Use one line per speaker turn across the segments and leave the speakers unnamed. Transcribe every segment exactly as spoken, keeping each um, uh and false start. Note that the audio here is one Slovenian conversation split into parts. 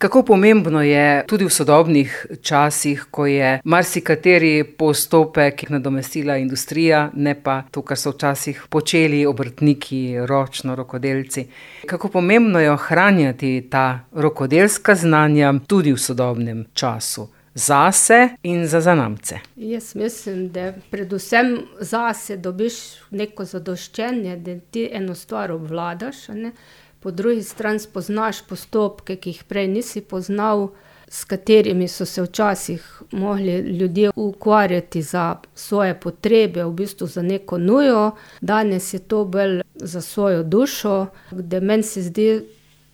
Kako pomembno je tudi v sodobnih časih, ko je marsikateri postopek nadomestila industrija, ne pa to, kar so včasih počeli obrtniki, ročno rokodelci. Kako pomembno je ohranjati ta rokodelska znanja tudi v sodobnem času, zase in za zanamce?
Jaz mislim, da predvsem zase dobiš neko zadoščenje, da ti eno stvar obvladaš, a ne. Po drugi strani spoznaš postopke, ki jih prej nisi poznal, s katerimi so se včasih mogli ljudje ukvarjati za svoje potrebe, v bistvu za neko nujo. Danes je to bolj za svojo dušo, da meni se zdi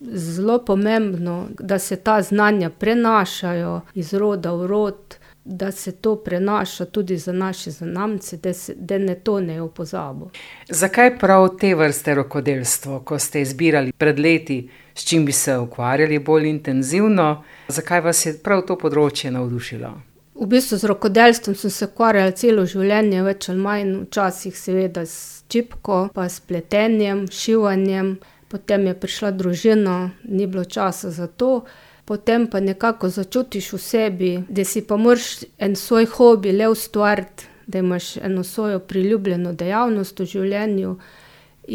zelo pomembno, da se ta znanja prenašajo iz roda v rod, da se to prenaša tudi za naše zanamce, da, se, da ne tonejo v pozabo.
Zakaj prav te vrste rokodelstvo, ko ste izbirali pred leti, s čim bi se ukvarjali bolj intenzivno, zakaj vas je prav to področje navdušilo?
V bistvu z rokodelstvom sem se ukvarjala celo življenje, več ali manj, včasih seveda s čipko, pa s pletenjem, šivanjem, potem je prišla družina, ni bilo časa za to. Potem pa nekako začutiš v sebi, da si pa moraš en svoj hobi le ustvariti, da imaš eno svojo priljubljeno dejavnost v življenju.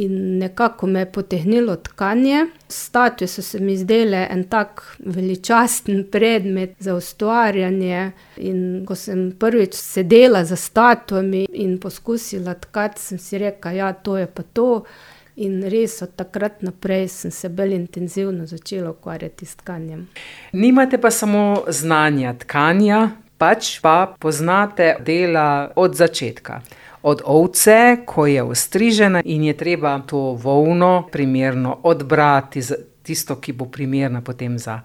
In nekako me je potegnilo tkanje. Statue so se mi zdele en tak veličasten predmet za ustvarjanje. In ko sem prvič sedela za statuami in poskusila tkati, sem si rekla, ja, to je pa to. In res od takrat naprej sem se bolj intenzivno začela ukvarjati s tkanjem.
Nimate pa samo znanja tkanja, pač pa poznate dela od začetka. Od ovce, ko je ostrižena in je treba to volno primerno odbrati, tisto, ki bo primerna potem za,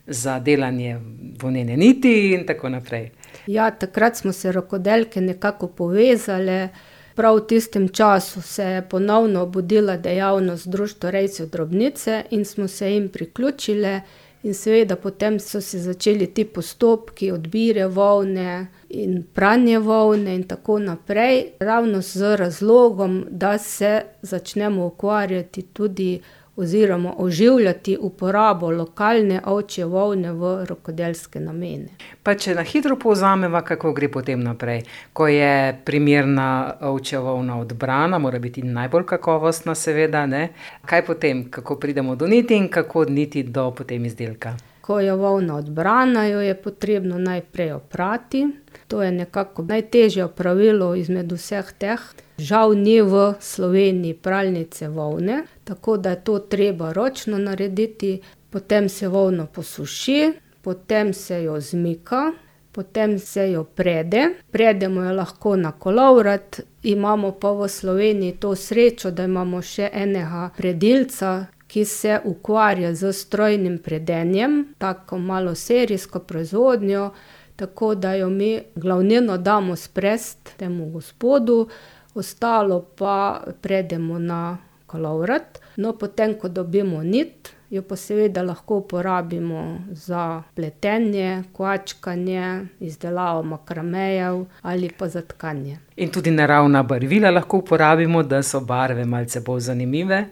za delanje volnene niti in tako naprej.
Ja, takrat smo se rokodelke nekako povezale. Prav v tistem času se je ponovno obudila dejavnost Društva rejcev drobnice in smo se jim priključile in seveda potem so se začeli ti postopki odbire volne in pranje volne in tako naprej, ravno z razlogom, da se začnemo ukvarjati tudi oziroma oživljati uporabo lokalne ovčje volne v rokodelske namene.
Pa če na hitro povzameva, kako gre potem naprej. Ko je primerna ovčja volna odbrana, mora biti najbolj kakovostna seveda, ne? Kaj potem, kako pridemo do niti in kako od niti do potem izdelka?
Ko je volna odbrana, jo je potrebno najprej oprati. To je nekako najtežje opravilo izmed vseh teh. Žal ni v Sloveniji pralnice volne, tako da je to treba ročno narediti. Potem se volno posuši, potem se jo zmika, potem se jo prede. Predemo jo lahko na kolovrat, imamo pa v Sloveniji to srečo, da imamo še enega predilca, ki se ukvarja z strojnim predenjem, tako malo serijsko proizvodnjo, tako da jo mi glavnino damo sprest temu gospodu, ostalo pa predemo na kolovrat. No, potem, ko dobimo nit, jo pa seveda lahko uporabimo za pletenje, kvačkanje, izdelavo makramejev ali pa za tkanje.
In tudi naravna barvila lahko uporabimo, da so barve malce bolj zanimive?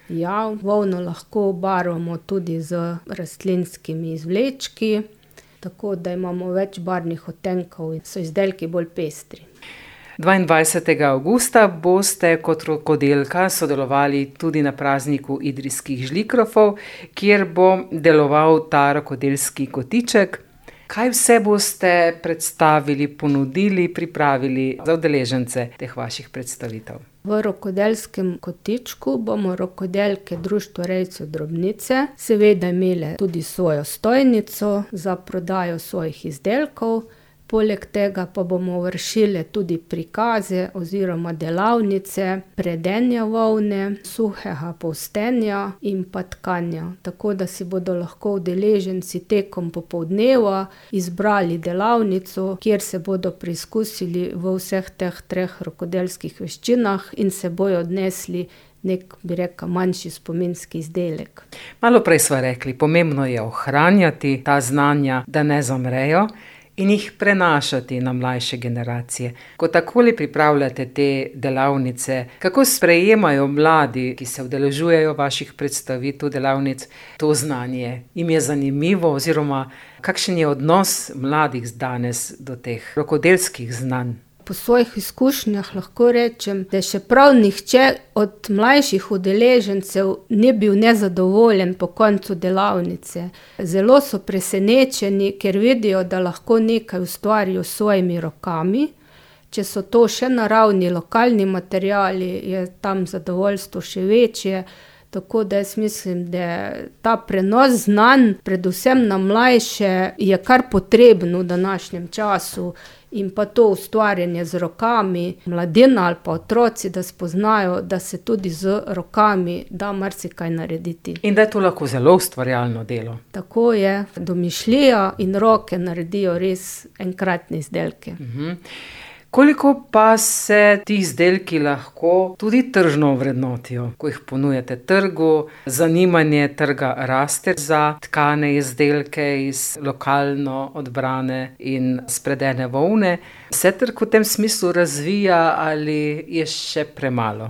Ja, volno lahko obarvamo tudi z rastlinskimi izvlečki, tako da imamo več barvnih odtenkov in so izdelki bolj pestri.
dvaindvajsetega avgusta boste kot rokodelka sodelovali tudi na prazniku idrijskih žlikrofov, kjer bo deloval ta rokodelski kotiček. Kaj vse boste predstavili, ponudili, pripravili za udeležence teh vaših predstavitev?
V rokodelskem kotičku bomo rokodelke Društva rejcev drobnice seveda imele tudi svojo stojnico za prodajo svojih izdelkov. Poleg tega pa bomo vršile tudi prikaze oziroma delavnice predenja volne, suhega polstenja in pa tkanja. Tako da si bodo lahko udeleženci tekom popoldneva izbrali delavnico, kjer se bodo preizkusili v vseh teh treh rokodelskih veščinah in se bojo odnesli nek, bi rekel, manjši spominski izdelek.
Malo prej sva rekli, pomembno je ohranjati ta znanja, da ne zamrejo. in jih prenašati na mlajše generacije. Ko takole pripravljate te delavnice, kako sprejemajo mladi, ki se udeležujejo vaših predstavitev, delavnic, to znanje? Jim je zanimivo oziroma kakšen je odnos mladih danes do teh rokodelskih znanj?
Po svojih izkušnjah lahko rečem, da še prav nihče od mlajših udeležencev ni bil nezadovoljen po koncu delavnice. Zelo so presenečeni, ker vidijo, da lahko nekaj ustvarijo s svojimi rokami. Če so to še naravni, lokalni materiali, je tam zadovoljstvo še večje. Tako da jaz mislim, da ta prenos znanj, predvsem na mlajše, je kar potrebno v današnjem času. In pa to ustvarjanje z rokami, mladina ali pa otroci, da spoznajo, da se tudi z rokami da marsikaj narediti.
In da je to lahko zelo ustvarjalno delo.
Tako je, domišljija in roke naredijo res enkratne izdelke.
Mhm. Koliko pa se ti izdelki lahko tudi tržno ovrednotijo, ko jih ponujate trgu? Zanimanje trga raste za tkane izdelke iz lokalno odbrane in spredene volne. Se trg v tem smislu razvija ali je še premalo?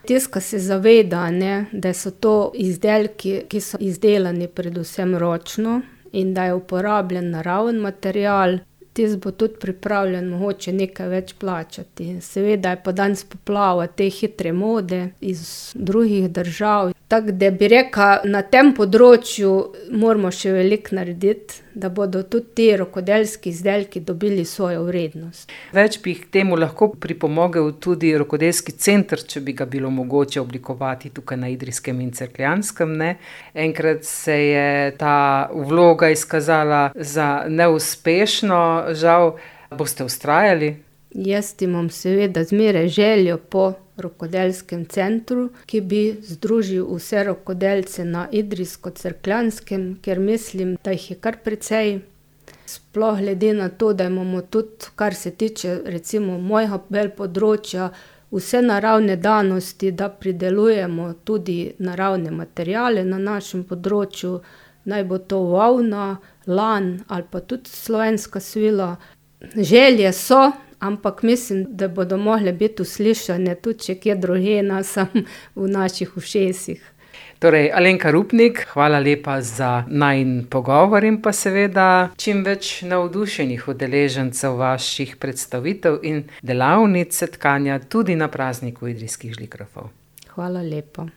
Tiska se zaveda, ne, da so to izdelki, ki so izdelani predvsem ročno in da je uporabljen naraven material. Tis bo tudi pripravljen mogoče nekaj več plačati. Seveda je pa danes poplava te hitre mode iz drugih držav. Tako da bi rekla, na tem področju moramo še veliko narediti, da bodo tudi ti rokodelski izdelki dobili svojo vrednost.
Več bi k temu lahko pripomogel tudi rokodelski center, če bi ga bilo mogoče oblikovati tukaj na Idrijskem in Cerkljanskem, ne. Enkrat se je ta vloga izkazala za neuspešno, žal. Boste vztrajali?
Jaz imam seveda zmeraj željo po rokodelskem centru, ki bi združil vse rokodelce na Idrijsko-Cerkljanskem, ker mislim, da jih je kar precej. Sploh glede na to, da imamo tudi, kar se tiče recimo mojega področja, vse naravne danosti, da pridelujemo tudi naravne materiale na našem področju, naj bo to volna, lan ali pa tudi slovenska svila. Želje so, ampak mislim, da bodo mogle biti uslišane tudi če kje drugje, ne samo v naših ušesih.
Torej, Alenka Rupnik, hvala lepa za najin pogovor in pa seveda čim več navdušenih udeležencev vaših predstavitev in delavnic tkanja tudi na prazniku idrijskih žlikrofov.
Hvala lepa.